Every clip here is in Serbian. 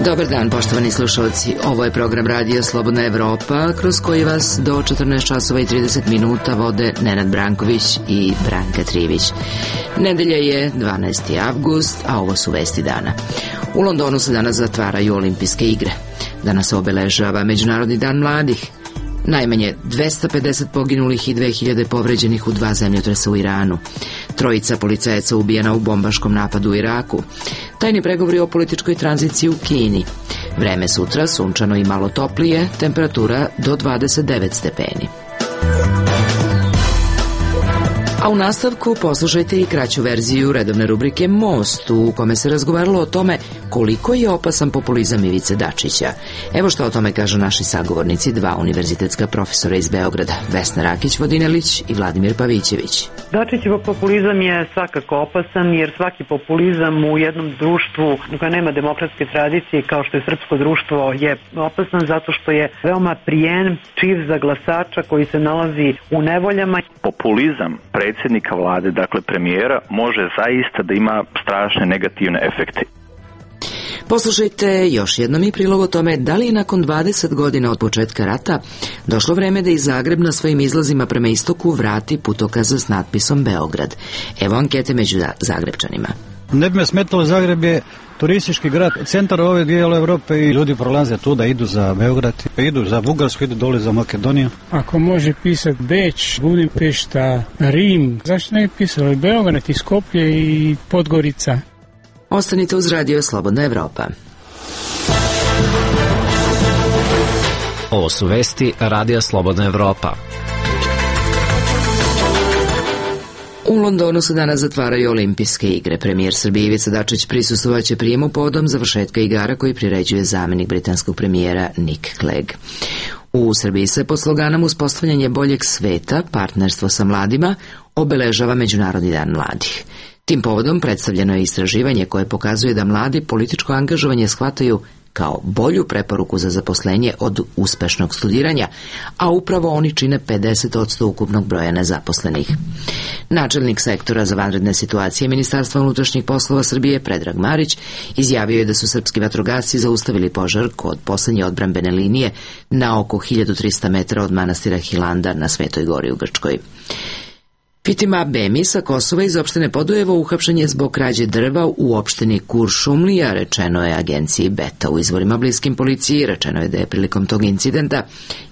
Dobar dan, poštovani slušalci. Ovo je program Radija Slobodna Evropa, kroz koji vas do 14 časova i 30 minuta vode Nenad Branković i Branka Trivić. Nedelja je 12. avgust, a ovo su vesti dana. U Londonu se danas zatvaraju olimpijske igre. Danas se obeležava Međunarodni dan mladih. Najmanje 250 poginulih i 2000 povređenih u 2 zemljotresa u Iranu. 3 policajaca ubijena u bombaškom napadu u Iraku. Tajni pregovori o političkoj tranziciji u Kini. Vreme sutra sunčano i malo toplije, temperatura do 29 stepeni. A u nastavku poslušajte i kraću verziju redovne rubrike Most, u kome se razgovaralo o tome koliko je opasan populizam Ivice Dačića. Evo što o tome kažu naši sagovornici, 2 univerzitetska profesora iz Beograda, Vesna Rakić-Vodinelić i Vladimir Pavićević. Dačićev populizam je svakako opasan, jer svaki populizam u jednom društvu u kojem nema demokratske tradicije, kao što je srpsko društvo, je opasan zato što je veoma prijen, čiv za glasača koji se nalazi u nevoljama. Populizam predsjednika vlade, dakle premijera, može zaista da ima strašne negativne efekte. Poslušajte još jednom i prilog o tome da li je nakon 20 godina od početka rata došlo vreme da i Zagreb na svojim izlazima prema istoku vrati putokaza s natpisom Beograd. Evo ankete među Zagrebčanima. Ne bi me smetalo, Zagreb je turistički grad, centar ove dijela Evrope i ljudi prolaze tu da idu za Beograd, idu za Bugarsku, idu dole za Makedoniju. Ako može pisati Beč, Budimpešta, Rim, zašto ne bi pisalo Beograd i Skoplje i Podgorica? Ostanite uz Radio Slobodna Evropa. Ovo su vesti Radija Slobodna Evropa. U Londonu se danas zatvaraju olimpijske igre. Premijer Srbije Ivica Dačić prisustvovaće prijemu povodom završetka igara koji priređuje zamenik britanskog premijera Nick Clegg. U Srbiji se pod sloganom uspostavljanje boljeg sveta, partnerstvo sa mladima, obeležava Međunarodni dan mladih. Tim povodom predstavljeno je istraživanje koje pokazuje da mladi političko angažovanje shvataju kao bolju preporuku za zaposlenje od uspešnog studiranja, a upravo oni čine 50% ukupnog broja nezaposlenih. Načelnik sektora za vanredne situacije Ministarstva unutrašnjih poslova Srbije Predrag Marić izjavio je da su srpski vatrogasci zaustavili požar kod poslednje odbrambene linije na oko 1300 metara od manastira Hilandar na Svetoj Gori u Grčkoj. Fitima Bemi sa Kosova iz opštine Podujevo uhapšen je zbog krađe drva u opštini Kuršumlija, rečeno je agenciji Beta. U izvorima bliskim policiji rečeno je da je prilikom tog incidenta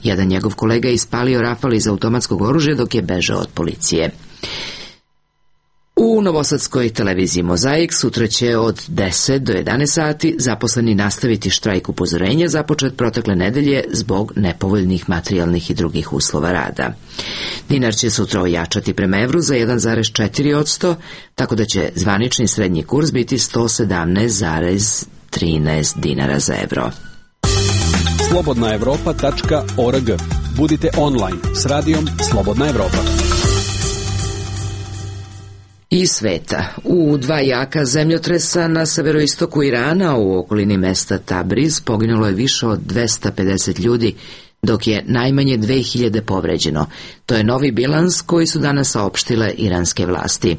jedan njegov kolega ispalio rafal iz automatskog oružja dok je bežao od policije. U novosadskoj televiziji Mozaik sutra će od 10 do 11 sati zaposleni nastaviti štrajk upozorenja započet protekle nedelje zbog nepovoljnih materijalnih i drugih uslova rada. Dinar će sutra ojačati prema evru za 1,4%, tako da će zvanični srednji kurs biti 117,13 dinara za evro. slobodnaevropa.org. Budite online s radijom Slobodna Evropa. Iz sveta. U 2 jaka zemljotresa na severoistoku Irana u okolini mesta Tabriz poginulo je više od 250 ljudi, dok je najmanje 2000 povređeno. To je novi bilans koji su danas saopštile iranske vlasti.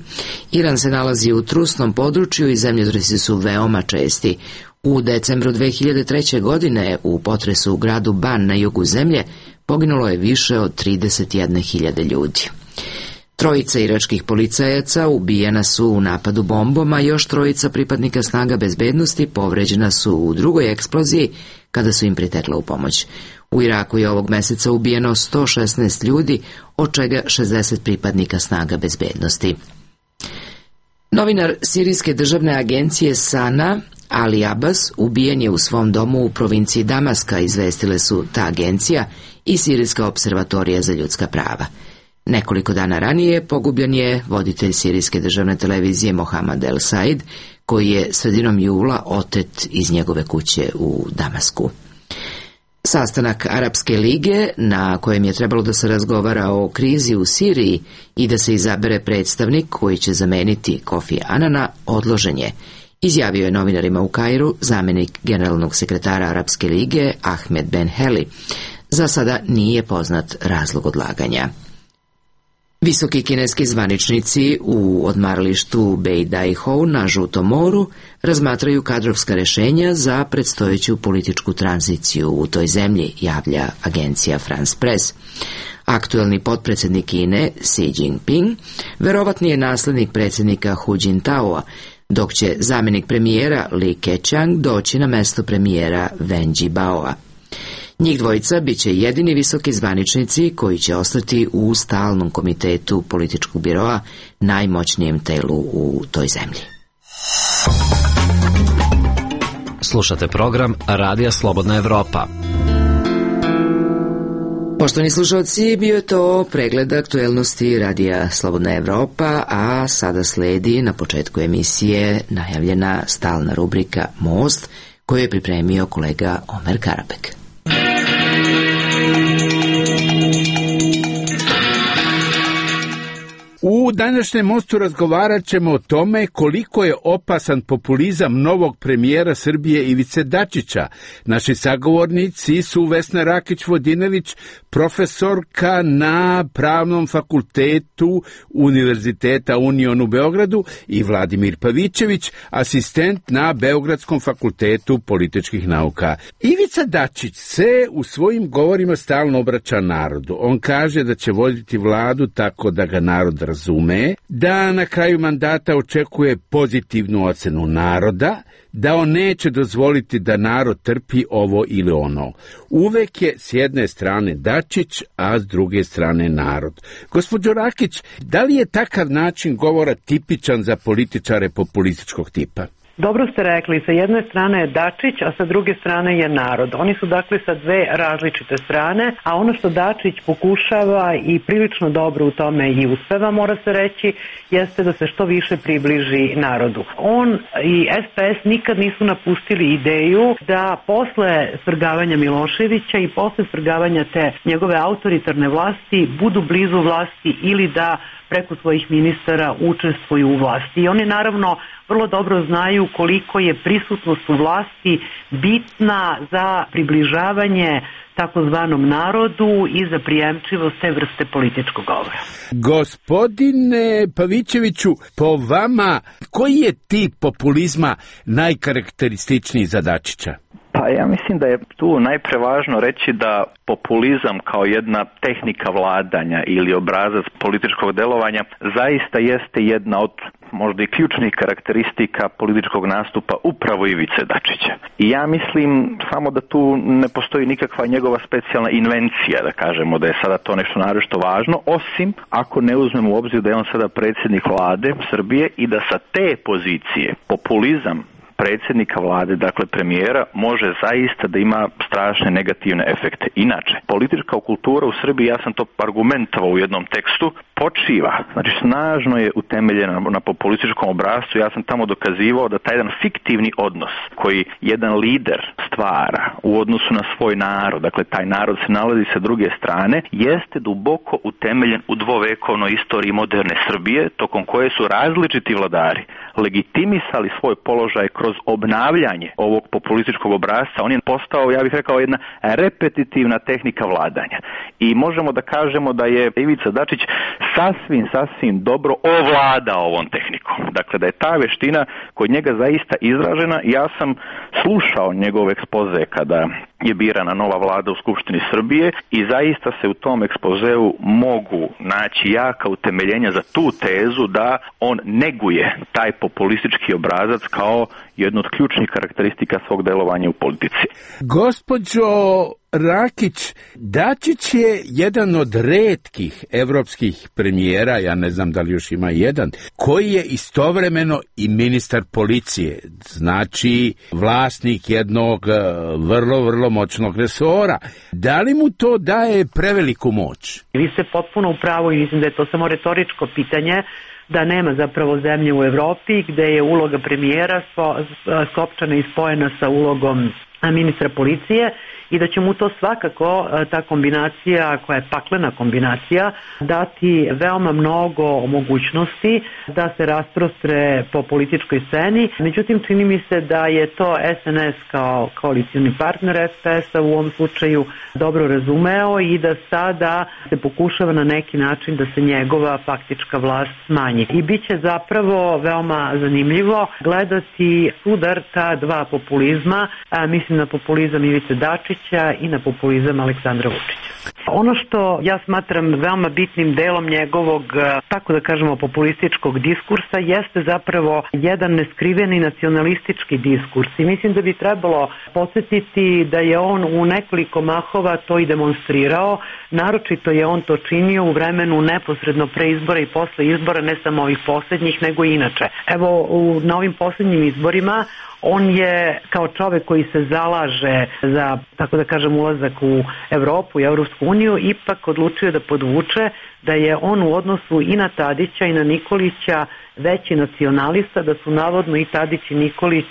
Iran se nalazi u trusnom području i zemljotresi su veoma česti. U decembru 2003. godine u potresu u gradu Ban na jugu zemlje poginulo je više od 31.000 ljudi. 3 iračkih policajaca ubijena su u napadu bombom, a još 3 pripadnika snaga bezbednosti povređena su u drugoj eksploziji kada su im pritekla u pomoć. U Iraku je ovog meseca ubijeno 116 ljudi, od čega 60 pripadnika snaga bezbednosti. Novinar Sirijske državne agencije Sana, Ali Abbas, ubijen je u svom domu u provinciji Damaska, izvestile su ta agencija i Sirijska observatorija za ljudska prava. Nekoliko dana ranije pogubljen je voditelj Sirijske državne televizije Mohamed El Said, koji je sredinom jula otet iz njegove kuće u Damasku. Sastanak Arapske lige, na kojem je trebalo da se razgovara o krizi u Siriji i da se izabere predstavnik koji će zameniti Kofi Anana, odložen je, izjavio je novinarima u Kairu zamenik generalnog sekretara Arapske lige Ahmed Ben Heli. Za sada nije poznat razlog odlaganja. Visoki kineski zvaničnici u odmaralištu Beidaiho na Žutom moru razmatraju kadrovska rešenja za predstojeću političku tranziciju u toj zemlji, javlja agencija France Press. Aktuelni potpredsednik Kine, Xi Jinping, verovatni je naslednik predsjednika Hu Jintaoa, dok će zamjenik premijera Li Keqiang doći na mesto premijera Wen Jiabaoa. Njih dvojica bit će jedini visoki zvaničnici koji će ostati u stalnom komitetu političkog biroa, najmoćnijem telu u toj zemlji. Slušate program Radija Slobodna Evropa. Poštovani slušalci, bio je to pregled aktuelnosti Radija Slobodna Evropa, a sada sledi na početku emisije najavljena stalna rubrika Most, koju je pripremio kolega Omer Karabek. U današnjem mostu razgovarat ćemo o tome koliko je opasan populizam novog premijera Srbije Ivice Dačića. Naši sagovornici su Vesna Rakić-Vodinelić, profesorka na Pravnom fakultetu Univerziteta Union u Beogradu, i Vladimir Pavićević, asistent na Beogradskom fakultetu političkih nauka. Ivica Dačić se u svojim govorima stalno obraća narodu. On kaže da će voditi vladu tako da ga narod razume, da na kraju mandata očekuje pozitivnu ocenu naroda, da on neće dozvoliti da narod trpi ovo ili ono. Uvek je s jedne strane Dačić, a s druge strane narod. Gospođo Rakić, da li je takav način govora tipičan za političare populističkog tipa? Dobro ste rekli, sa jedne strane je Dačić, a sa druge strane je narod. Oni su dakle sa dve različite strane, a ono što Dačić pokušava i prilično dobro u tome i uspeva, mora se reći, jeste da se što više približi narodu. On i SPS nikad nisu napustili ideju da posle svrgavanja Miloševića i posle svrgavanja te njegove autoritarne vlasti budu blizu vlasti ili da preko svojih ministara učestvuju u vlasti. I oni naravno vrlo dobro znaju koliko je prisutnost u vlasti bitna za približavanje takozvanom narodu i za prijemčivost te vrste političkog govora. Gospodine Pavićeviću, po vama, koji je tip populizma najkarakterističniji za Dačića? Pa ja mislim da je tu najpre važno reći da populizam kao jedna tehnika vladanja ili obrazac političkog delovanja zaista jeste jedna od možda i ključnih karakteristika političkog nastupa upravo Ivice Dačića. I ja mislim samo da tu ne postoji nikakva njegova specijalna invencija, da kažemo da je sada to nešto naročito važno, osim ako ne uzmemo u obzir da je on sada predsjednik vlade Srbije i da sa te pozicije populizam predsjednika vlade, dakle premijera, može zaista da ima strašne negativne efekte. Inače, politička kultura u Srbiji, ja sam to argumentovao u jednom tekstu, počiva, znači snažno je utemeljena na populističkom obrascu. Ja sam tamo dokazivao da taj jedan fiktivni odnos koji jedan lider stvara u odnosu na svoj narod, dakle taj narod se nalazi sa druge strane, jeste duboko utemeljen u dvovekovnoj istoriji moderne Srbije, tokom koje su različiti vladari legitimisali svoj položaj kroz obnavljanje ovog populističkog obrasca. On je postao, ja bih rekao, jedna repetitivna tehnika vladanja. I možemo da kažemo da je Ivica Dačić sasvim dobro ovladao ovom tehnikom. Dakle, da je ta veština kod njega zaista izražena. Ja sam slušao njegov ekspoze kada je birana nova vlada u Skupštini Srbije i zaista se u tom ekspozeu mogu naći jaka utemeljenja za tu tezu da on neguje taj populistički obrazac kao jednu od ključnih karakteristika svog delovanja u politici. Gospođo Rakić, Dačić je jedan od retkih evropskih premijera, ja ne znam da li još ima jedan, koji je istovremeno i ministar policije, znači vlasnik jednog vrlo moćnog resora. Da li mu to daje preveliku moć? Vi ste potpuno u pravu i mislim da je to samo retoričko pitanje, da nema zapravo zemlje u Evropi gde je uloga premijera skopčana i spojena sa ulogom ministra policije i da će mu to svakako, ta kombinacija koja je paklena kombinacija, dati veoma mnogo mogućnosti da se rasprostre po političkoj sceni. Međutim, čini mi se da je to SNS kao koalicioni partner SPS-a u ovom slučaju dobro razumeo i da sada se pokušava na neki način da se njegova faktička vlast smanji. I bit će zapravo veoma zanimljivo gledati sudar ta dva populizma, mislim na populizam Ivice Dačića i na populizam Aleksandra Vučića. Ono što ja smatram veoma bitnim delom njegovog, tako da kažemo, populističkog diskursa jeste zapravo jedan neskriveni nacionalistički diskurs i mislim da bi trebalo podsjetiti da je on u nekoliko mahova to i demonstrirao, naročito je on to činio u vremenu neposredno pre izbora i posle izbora, ne samo ovih poslednjih, nego i inače. Evo, na ovim poslednjim izborima on je kao čovek koji se zalaže za, tako da kažem, ulazak u Evropu i Evropsku uniju, ipak odlučio da podvuče da je on u odnosu i na Tadića i na Nikolića veći nacionalista, da su navodno i Tadić i Nikolić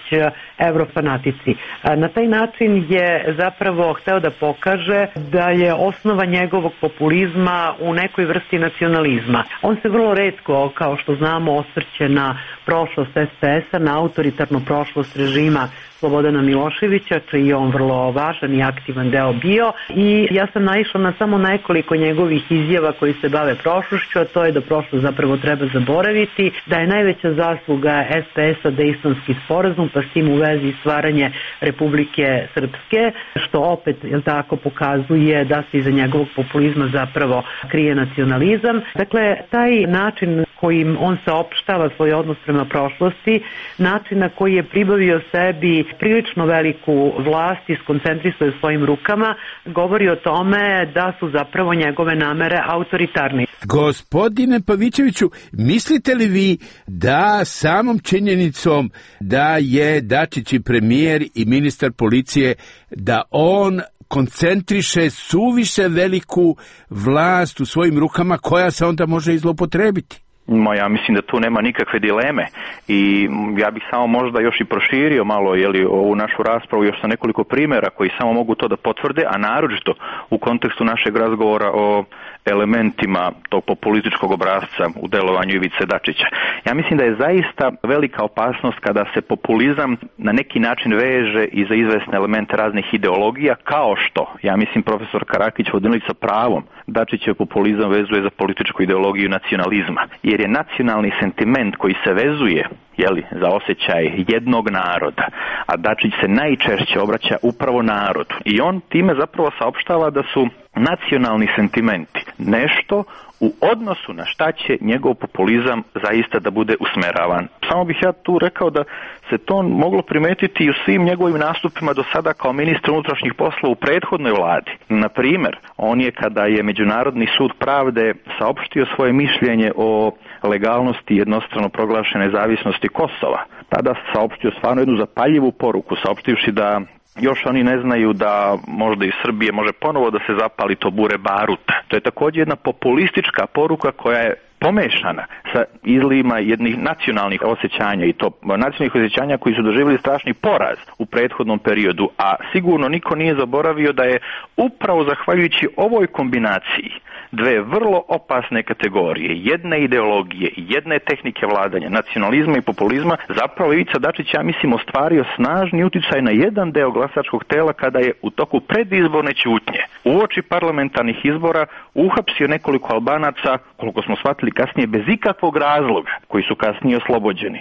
evrofanatici. Na taj način je zapravo hteo da pokaže da je osnova njegovog populizma u nekoj vrsti nacionalizma. On se vrlo retko, kao što znamo, osvrće na prošlost SPS-a, na autoritarnu prošlost režima Slobodana Miloševića, čiji je on vrlo važan i aktivan deo bio, i ja sam naišla na samo nekoliko njegovih izjava koji se bave prošlošću, a to je da prošlost zapravo treba zaboraviti, da je najveća zasluga SPS-a Dejtonski sporazum, pa s tim u vezi stvaranje Republike Srpske, što opet, jel tako, pokazuje da se iza njegovog populizma zapravo krije nacionalizam. Dakle, taj način kojim on saopštava svoj odnos prema prošlosti, način na koji je pribavio sebi prilično veliku vlast i skoncentrisuje svojim rukama, govori o tome da su zapravo njegove namere autoritarne. Gospodine Pavićeviću, mislite li vi da samom činjenicom da je Dačić i premijer i ministar policije, da on koncentriše suviše veliku vlast u svojim rukama koja se onda može i zloupotrebiti? Ja mislim da tu nema nikakve dileme i ja bih samo možda još i proširio malo ovu našu raspravu još sa nekoliko primjera koji samo mogu to da potvrde, a naročito u kontekstu našeg razgovora o elementima tog populističkog obrasca u delovanju Ivice Dačića. Ja mislim da je zaista velika opasnost kada se populizam na neki način veže i za izvesne elemente raznih ideologija, kao što, ja mislim, profesor Karakić Vodinilić sa pravom Dačićev populizam vezuje za političku ideologiju nacionalizma, jer je nacionalni sentiment koji se vezuje za osjećaj jednog naroda, a Dačić se najčešće obraća upravo narodu. I on time zapravo saopštava da su nacionalni sentimenti nešto u odnosu na šta će njegov populizam zaista da bude usmeravan. Samo bih ja tu rekao da se to moglo primetiti i u svim njegovim nastupima do sada kao ministar unutrašnjih poslova u prethodnoj vladi. Na primjer, on je, kada je Međunarodni sud pravde saopštio svoje mišljenje o legalnosti jednostrano proglašene nezavisnosti Kosova, tada saopštio stvarno jednu zapaljivu poruku, saopštivši da još oni ne znaju da možda iz Srbije može ponovo da se zapali to bure baruta. To je također jedna populistička poruka koja je pomešana sa izlivima jednih nacionalnih osjećanja, i to nacionalnih osjećanja koji su doživjeli strašni poraz u prethodnom periodu, a sigurno niko nije zaboravio da je upravo zahvaljujući ovoj kombinaciji dve vrlo opasne kategorije, jedne ideologije i jedne tehnike vladanja, nacionalizma i populizma, zapravo Ivica Dačić, ja mislim, ostvario snažni uticaj na jedan deo glasačkog tela kada je u toku predizborne ćutnje uoči parlamentarnih izbora uhapsio nekoliko Albanaca, koliko smo shvatili kasnije, bez ikakvog razloga, koji su kasnije oslobođeni.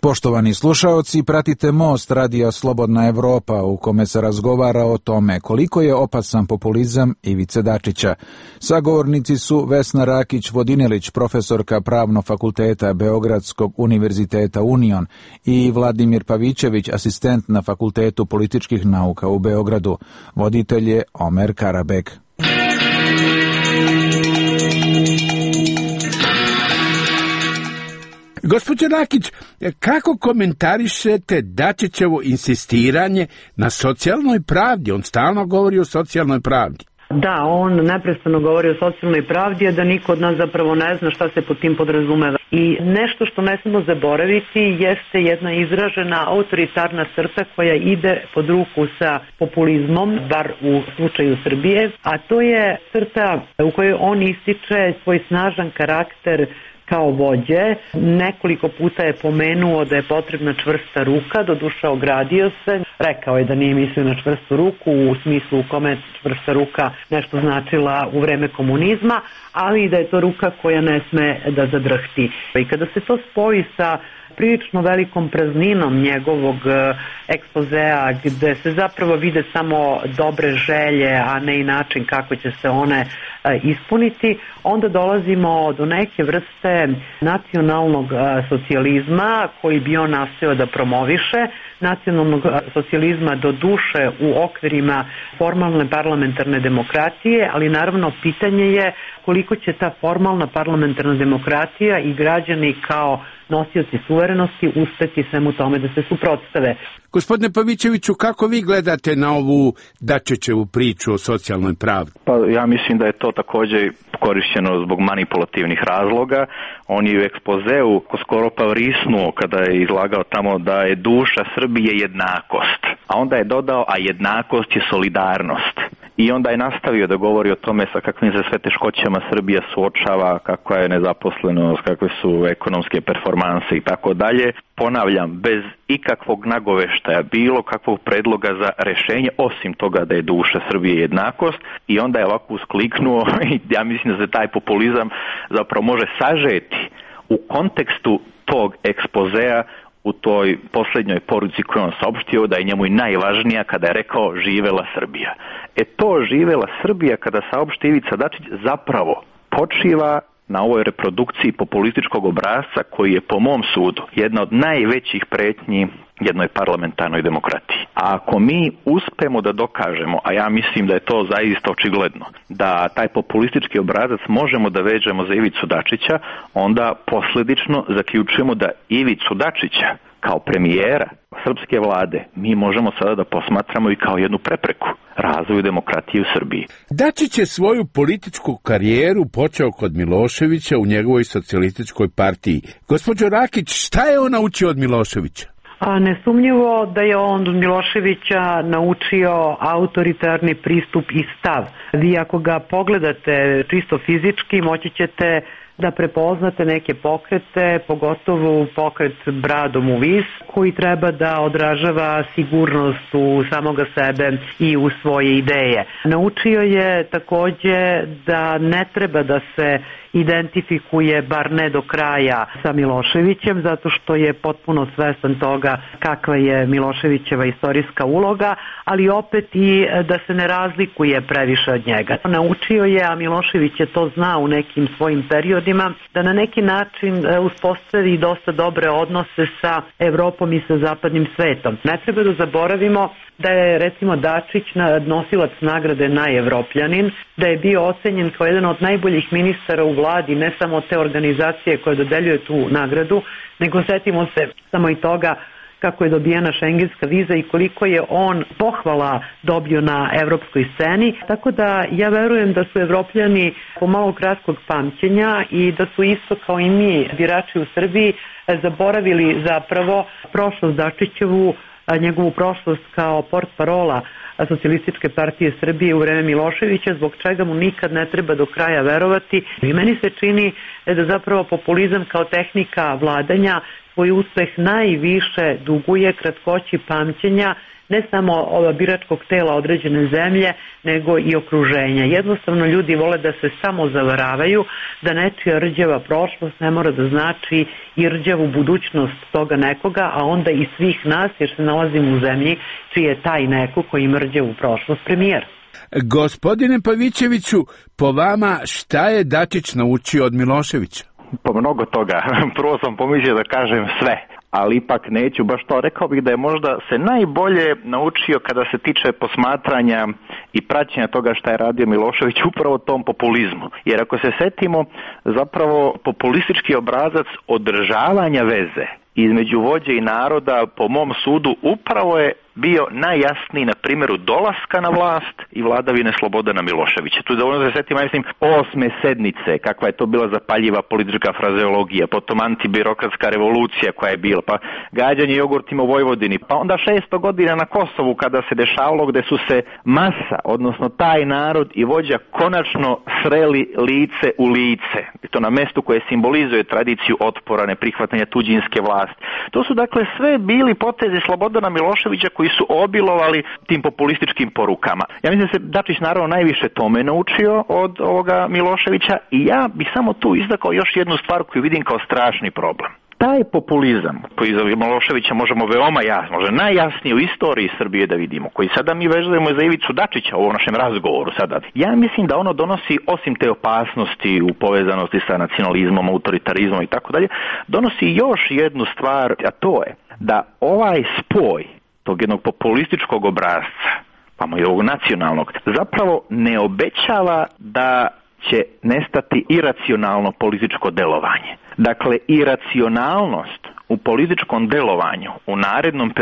Poštovani slušaoci, pratite Most radija Slobodna Evropa, u kome se razgovara o tome koliko je opasan populizam Ivice Dačića. Sagovornici su Vesna Rakić-Vodinelić, profesorka Pravnog fakulteta Beogradskog univerziteta Union, i Vladimir Pavićević, asistent na Fakultetu političkih nauka u Beogradu. Voditelj je Omer Karabek. Gospođo Rakić, kako komentarišete Dačićevo insistiranje na socijalnoj pravdi? On stalno govori o socijalnoj pravdi. Da, on neprestano govori o socijalnoj pravdi, a da niko od nas zapravo ne zna šta se pod tim podrazumeva. I nešto što ne smemo zaboraviti jeste jedna izražena autoritarna crta koja ide pod ruku sa populizmom, bar u slučaju Srbije, a to je crta u kojoj on ističe svoj snažan karakter kao vođe. Nekoliko puta je pomenuo da je potrebna čvrsta ruka, doduše ogradio se. Rekao je da nije mislio na čvrstu ruku u smislu u kome čvrsta ruka nešto značila u vreme komunizma, ali i da je to ruka koja ne sme da zadrhti. I kada se to spoji sa prilično velikom prazninom njegovog ekspozea, gde se zapravo vide samo dobre želje, a ne i način kako će se one ispuniti, onda dolazimo do neke vrste nacionalnog socijalizma koji bi on nastojao da promoviše, nacionalnog socijalizma do duše u okvirima formalne parlamentarne demokratije, ali naravno pitanje je koliko će ta formalna parlamentarna demokratija i građani kao nosioci suverenosti uspeti svemu tome da se suprotstave. Gospodine Pavićeviću, kako vi gledate na ovu Dačićevu priču o socijalnoj pravdi? Pa ja mislim da je to također korišćeno zbog manipulativnih razloga. On je u ekspozeu skoro pa vrisnuo kada je izlagao tamo da je duša Srbije jednakost. A onda je dodao, a jednakost je solidarnost. I onda je nastavio da govori o tome sa kakvim se sve teškoćama Srbija suočava, kakva je nezaposlenost, kakve su ekonomske performanse i tako dalje. Ponavljam, bez ikakvog nagoveštaja, bilo kakvog predloga za rešenje, osim toga da je duša Srbije jednakost, i onda je ovako uskliknuo i ja mislim da se taj populizam zapravo može sažeti u kontekstu tog ekspozea u toj posljednjoj poruci koju on saopštio, da je njemu i najvažnija kada je rekao živela Srbija. To živela Srbija kada saopšti Ivica Dačić zapravo počiva na ovoj reprodukciji populističkog obrasca koji je po mom sudu jedna od najvećih pretnji jednoj parlamentarnoj demokratiji. A ako mi uspemo da dokažemo, a ja mislim da je to zaista očigledno, da taj populistički obrazac možemo da vežemo za Ivicu Dačića, onda posljedično zaključujemo da Ivicu Dačića kao premijera srpske vlade mi možemo sada da posmatramo i kao jednu prepreku razvoju demokratije u Srbiji. Dačić je svoju političku karijeru počeo kod Miloševića u njegovoj socijalističkoj partiji. Gospođo Rakić, šta je on naučio od Miloševića? Nesumnjivo da je on od Miloševića naučio autoritarni pristup i stav. Vi ako ga pogledate čisto fizički, moći ćete da prepoznate neke pokrete, pogotovo pokret bradom u vis, koji treba da odražava sigurnost u samoga sebe i u svoje ideje. Naučio je takođe da ne treba da se identifikuje, bar ne do kraja, sa Miloševićem, zato što je potpuno svestan toga kakva je Miloševićeva istorijska uloga, ali opet i da se ne razlikuje previše od njega. Naučio je, a Milošević je to znao u nekim svojim periodima, da na neki način uspostavi dosta dobre odnose sa Evropom i sa zapadnim svetom. Ne treba da zaboravimo da je recimo Dačić nosilac nagrade Najevropljanin, da je bio ocenjen kao jedan od najboljih ministara u vladi, ne samo te organizacije koje dodeljuje tu nagradu, nego setimo se samo i toga kako je dobijena šengenska viza i koliko je on pohvala dobio na evropskoj sceni. Tako da ja verujem da su Evropljani pomalo kratkog pamćenja i da su isto kao i mi, birači u Srbiji, zaboravili zapravo prošlost Dačićevu, njegovu prošlost kao portparola Socijalističke partije Srbije u vreme Miloševića, zbog čega mu nikad ne treba do kraja verovati. I meni se čini da zapravo populizam kao tehnika vladanja svoj uspeh najviše duguje kratkoći pamćenja ne samo biračkog tela određene zemlje, nego i okruženja. Jednostavno ljudi vole da se samo zavaravaju, da nečija rđava prošlost ne mora da znači i rđavu budućnost toga nekoga, a onda i svih nas, jer se nalazimo u zemlji čiji je taj neko koji ima rđavu prošlost premijer. Gospodine Pavićeviću, po vama šta je Dačić naučio od Miloševića? Po mnogo toga. Prvo sam pomislio da kažem sve, ali ipak neću baš to. Rekao bih da je možda se najbolje naučio kada se tiče posmatranja i praćenja toga šta je radio Milošević upravo tom populizmu. Jer ako se setimo, zapravo populistički obrazac održavanja veze između vođe i naroda, po mom sudu, upravo je bio najjasniji na primjeru dolaska na vlast i vladavine Slobodana Miloševića. Tu je dovoljno da se setimo, mislim, 8. sednice, kakva je to bila zapaljiva politička frazeologija, potom antibirokratska revolucija koja je bila, pa gađanje jogurtima u Vojvodini, pa onda 600 godina na Kosovu kada se dešavalo gde su se masa, odnosno taj narod i vođa konačno sreli lice u lice. I to na mestu koje simbolizuje tradiciju otpora, neprihvatanja tuđinske vlasti. To su dakle sve bili potezi Slobodana Miloševića koji su obilovali tim populističkim porukama. Ja mislim da se Dačić naravno najviše tome naučio od ovoga Miloševića i ja bih samo tu izdakao još jednu stvar koju vidim kao strašni problem. Taj populizam koji za Miloševića možemo veoma jasno, možda najjasnije u istoriji Srbije da vidimo, koji sada mi vezujemo za Ivicu Dačića u ovom našem razgovoru sada, ja mislim da ono donosi, osim te opasnosti u povezanosti sa nacionalizmom, autoritarizmom i tako dalje, donosi još jednu stvar, a to je da ovaj spoj tog jednog populističkog obrasca, pa i ovog nacionalnog, zapravo ne obećava da će nestati iracionalno političko delovanje. Dakle, iracionalnost u političkom delovanju u narednom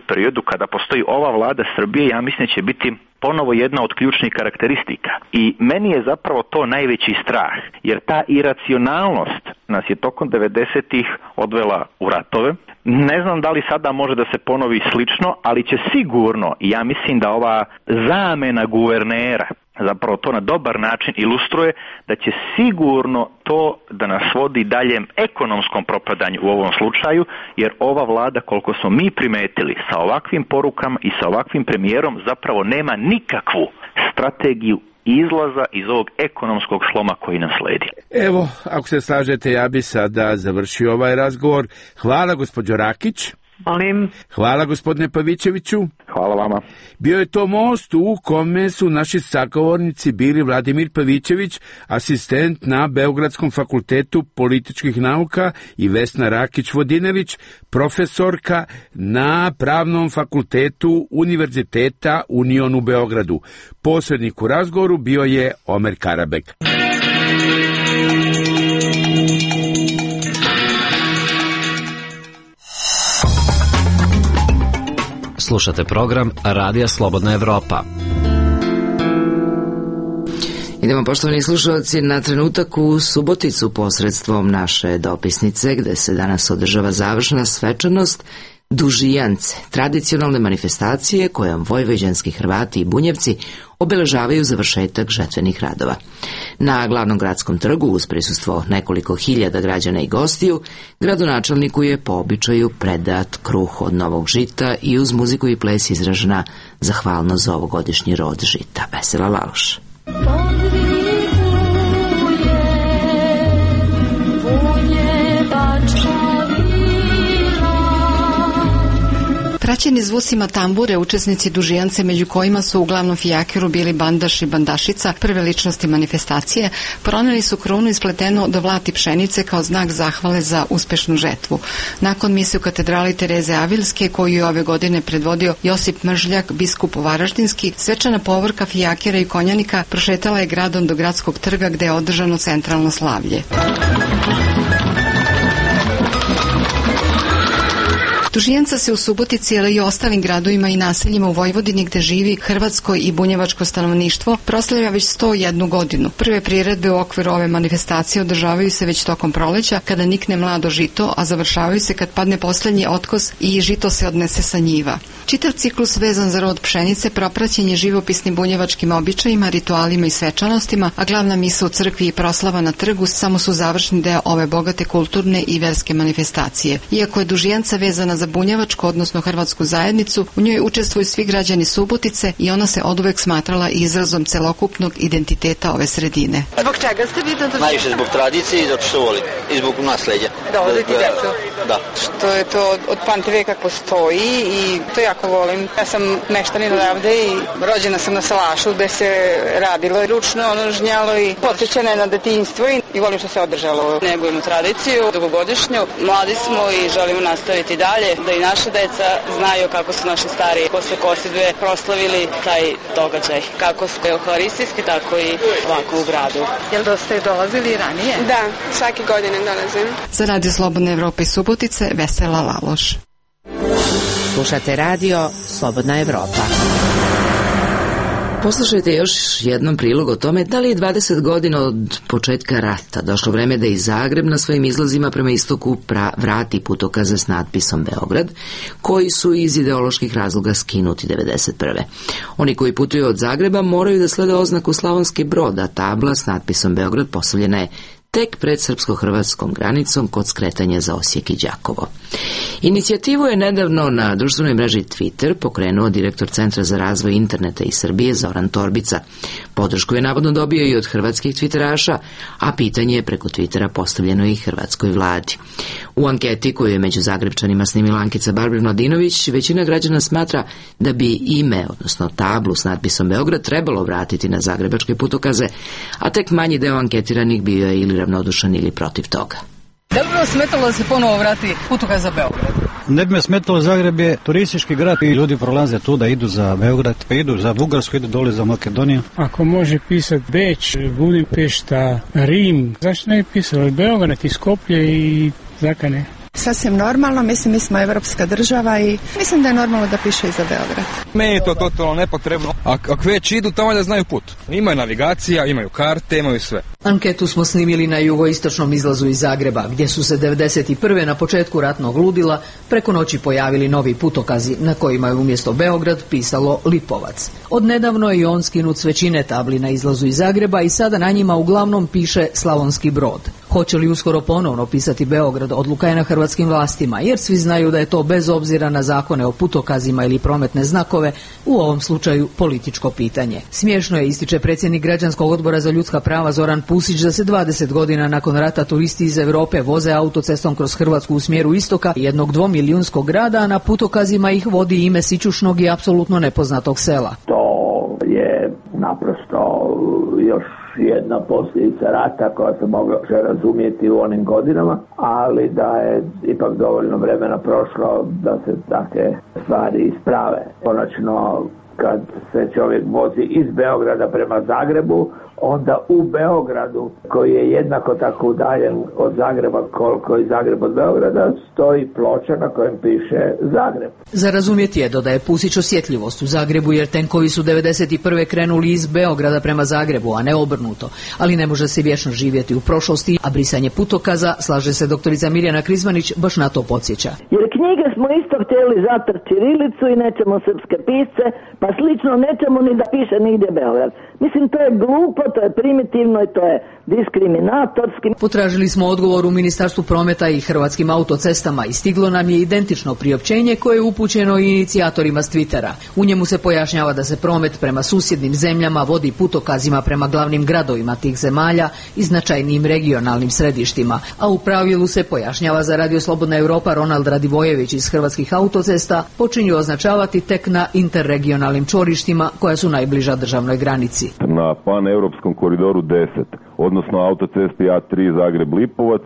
periodu kada postoji ova vlada Srbije, ja mislim će biti ponovo jedna od ključnih karakteristika. I meni je zapravo to najveći strah, jer ta iracionalnost nas je tokom 90-ih odvela u ratove. Ne znam da li sada može da se ponovi slično, ali će sigurno, i ja mislim da ova zamena guvernera zapravo to na dobar način ilustruje, da će sigurno to da nas vodi daljem ekonomskom propadanju u ovom slučaju, jer ova vlada, koliko smo mi primetili, sa ovakvim porukama i sa ovakvim premijerom zapravo nema nikakvu strategiju izlaza iz ovog ekonomskog sloma koji nas sledi. Evo, ako se slažete, ja bi sada završio ovaj razgovor. Hvala, gospođo Rakić. Molim. Hvala, gospodine Pavićeviću. Hvala vama. Bio je to most u kome su naši sagovornici bili Vladimir Pavićević, asistent na Beogradskom fakultetu političkih nauka, i Vesna Rakić-Vodinelić, profesorka na Pravnom fakultetu Univerziteta Union u Beogradu. Posrednik u razgovoru bio je Omer Karabek. Slušate program Radija Slobodna Evropa. Idemo, poštovani slušalci, na trenutak u Suboticu posredstvom naše dopisnice, gde se danas održava završna svečanost Dužijance, tradicionalne manifestacije kojom vojvođanski Hrvati i Bunjevci obeležavaju završetak žetvenih radova. Na glavnom gradskom trgu, uz prisustvo nekoliko hiljada građana i gostiju, gradonačelniku je po običaju predat kruh od novog žita i uz muziku i ples izražena zahvalnost za ovogodišnji rod žita. Vesela Laloš. Praćeni zvucima tambure, učesnici Dužijance, među kojima su uglavnom fijakiru bili Bandaš i Bandašica, prve ličnosti manifestacije, proneli su krunu ispletenu do vlati pšenice kao znak zahvale za uspešnu žetvu. Nakon mise u katedrali Tereze Avilske, koju je ove godine predvodio Josip Mržljak, biskup Varaždinski, svečana povorka fijakira i konjanika prošetala je gradom do gradskog trga gde je održano centralno slavlje. Dužijanca se u Subotici, ali i ostalim gradovima i naseljima u Vojvodini gde živi hrvatsko i bunjevačko stanovništvo proslavlja već 101 godinu. Prve priredbe u okviru ove manifestacije održavaju se već tokom proleća kada nikne mlado žito, a završavaju se kad padne poslednji otkos i žito se odnese sa njiva. Čitav ciklus vezan za rod pšenice propraćen je živopisnim bunjevačkim običajima, ritualima i svečanostima, a glavna misa u crkvi i proslava na trgu samo su završni deo ove bogate kulturne i verske manifestacije. Iako je Dužijanca vezana za bunjevačku, odnosno hrvatsku zajednicu, u njoj učestvuju svi građani Subotice i ona se oduvek smatrala izrazom celokupnog identiteta ove sredine. Zbog čega ste vi to? Najviše zbog tradicije i zato što volim. I zbog nasleđa. Da odete decu? Da. Što je to od pamti veka postoji i to jako volim. Ja sam meštanin odavde i rođena sam na salašu gde se radilo ručno, žnjalo i podsjećana je na detinjstvo i volim što se održalo. Negujemo tradiciju, dugogodišnju, mladi smo i želimo nastaviti dalje, da i naša deca znaju kako su naši stari posle kosidbe proslavili taj događaj. Kako su euharistijski, tako i ovako u gradu. Jel da ste dolazili ranije? Da, svake godine dolazim. Za Radio Slobodne Evrope i Subotice, Vesela Laloš. Slušate radio Slobodna Evropa. Poslušajte još jednom prilog o tome da li je 20 godina od početka rata došlo vreme da i Zagreb na svojim izlazima prema istoku vrati putokaze s natpisom Beograd, koji su iz ideoloških razloga skinuti 1991. Oni koji putuju od Zagreba moraju da slede oznaku Slavonski Brod, a tabla s natpisom Beograd postavljena je tek pred srpsko-hrvatskom granicom kod skretanja za Osijek i Đakovo. Inicijativu je nedavno na društvenoj mreži Twitter pokrenuo direktor Centra za razvoj interneta iz Srbije Zoran Torbica. Podršku je navodno dobio i od hrvatskih twitteraša, a pitanje je preko Twittera postavljeno i hrvatskoj vladi. U anketi koju je među Zagrebčanima snimila Ankica Barbir-Mladinović, većina građana smatra da bi ime, odnosno tablu s natpisom Beograd, trebalo vratiti na zagrebačke putokaze, a tek manji deo anketiranih bio je ili ravnodušan ili protiv toga. Da li bi vas smetalo da se ponovo vrati putokaz za Beograd? Ne bi me smetalo, Zagreb je turistički grad i ljudi prolaze tu da idu za Beograd, pa idu za Bugarsku, idu dole za Makedoniju. Ako može pisati Beč, Budimpešta, Rim, zašto ne bi pisali Beograd i Skoplje i Zakane? Sasvim normalno, mislim mi smo evropska država i mislim da je normalno da piše i za Beograd. Meni je to totalno nepotrebno. Ako već idu tamo da znaju put. Imaju navigacija, imaju karte, imaju sve. Anketu smo snimili na jugoistočnom izlazu iz Zagreba, gdje su se 1991. na početku ratnog ludila preko noći pojavili novi putokazi na kojima je umjesto Beograd pisalo Lipovac. Odnedavno je i on skinut s većine tabli na izlazu iz Zagreba i sada na njima uglavnom piše Slavonski Brod. Hoće li uskoro ponovno pisati Beograd, odluka je na hrvatskim vlastima, jer svi znaju da je to bez obzira na zakone o putokazima ili prometne znakove, u ovom slučaju političko pitanje. Smiješno je, ističe predsjednik Građanskog odbora za ljudska prava Zoran Pusić, da se 20 godina nakon rata turisti iz Europe voze autocestom kroz Hrvatsku u smjeru istoka jednog 2-milijunskog grada, a na putokazima ih vodi ime sićušnog i apsolutno nepoznatog sela. To je naprosto još jedna posljedica rata koja se mogla razumjeti u onim godinama, ali da je ipak dovoljno vremena prošlo da se takve stvari isprave. Konačno, kad se čovjek vozi iz Beograda prema Zagrebu, onda u Beogradu, koji je jednako tako udaljen od Zagreba koliko i Zagreb od Beograda, stoji ploča na kojem piše Zagreb. Za razumjeti je, dodaje Pusić, osjetljivost u Zagrebu, jer tenkovi su 1991. krenuli iz Beograda prema Zagrebu, a ne obrnuto. Ali ne može se vječno živjeti u prošlosti, a brisanje putokaza, slaže se doktorica Mirjana Krizmanić, baš na to podsjeća. Jer knjige smo isto htjeli zatr ćirilicu i nećemo srpske pisce, pa slično nećemo ni da piše nigdje Beograd. Mislim, to je glupo, to je primitivno i to je diskriminatorski. Potražili smo odgovor u Ministarstvu prometa i Hrvatskim autocestama i stiglo nam je identično priopćenje koje je upućeno i inicijatorima s Twittera. U njemu se pojašnjava da se promet prema susjednim zemljama vodi putokazima prema glavnim gradovima tih zemalja i značajnim regionalnim središtima, a u pravilu se pojašnjava za Radio Slobodna Evropa Ronald Radivojević iz Hrvatskih autocesta počinju označavati tek na interregionalnim čvorištima koja su najbliža državnoj granici. Na paneuropskom koridoru 10, odnosno autocesti A3 Zagreb-Lipovac,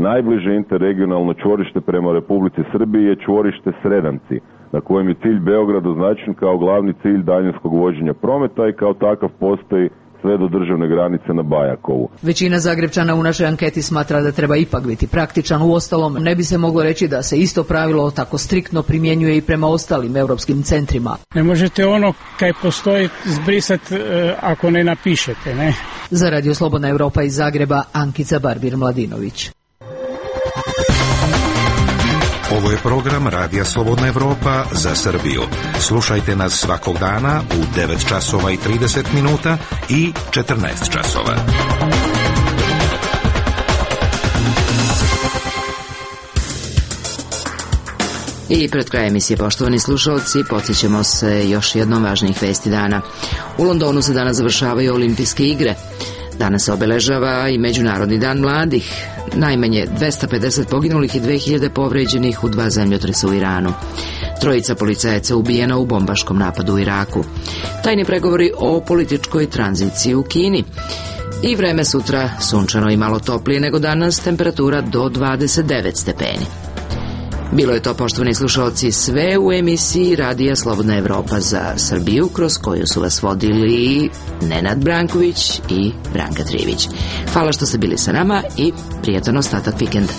najbliže interregionalno čvorište prema Republici Srbiji je čvorište Sredanci, na kojem je cilj Beograd označen kao glavni cilj daljinskog vođenja prometa i kao takav postoji sve do državne granice na Bajakovu. Većina Zagrebčana u našoj anketi smatra da treba ipak biti praktičan. Uostalom, ne bi se moglo reći da se isto pravilo tako striktno primjenjuje i prema ostalim europskim centrima. Ne možete ono kaj postoji zbrisati ako ne napišete, ne? Za Radio Slobodna Evropa iz Zagreba, Ankica Barbir-Mladinović. Ovo je program Radija Slobodna Evropa za Srbiju. Slušajte nas svakog dana u 9 časova i 30 minuta i 14 časova. I pred krajem emisije, poštovani slušalci, podsjećamo se još jednom važnih vesti dana. U Londonu se danas završavaju olimpijske igre. Danas se obeležava i Međunarodni dan mladih. Najmanje 250 poginulih i 2000 povređenih u 2 zemljotresa u Iranu. 3 policajaca ubijena u bombaškom napadu u Iraku. Tajni pregovori o političkoj tranziciji u Kini. I vreme sutra sunčano i malo toplije nego danas, temperatura do 29 stepeni. Bilo je to, poštovani slušalci, sve u emisiji Radija Slobodna Evropa za Srbiju, kroz koju su vas vodili Nenad Branković i Branka Trivić. Hvala što ste bili sa nama i prijatan ostatak vikenda.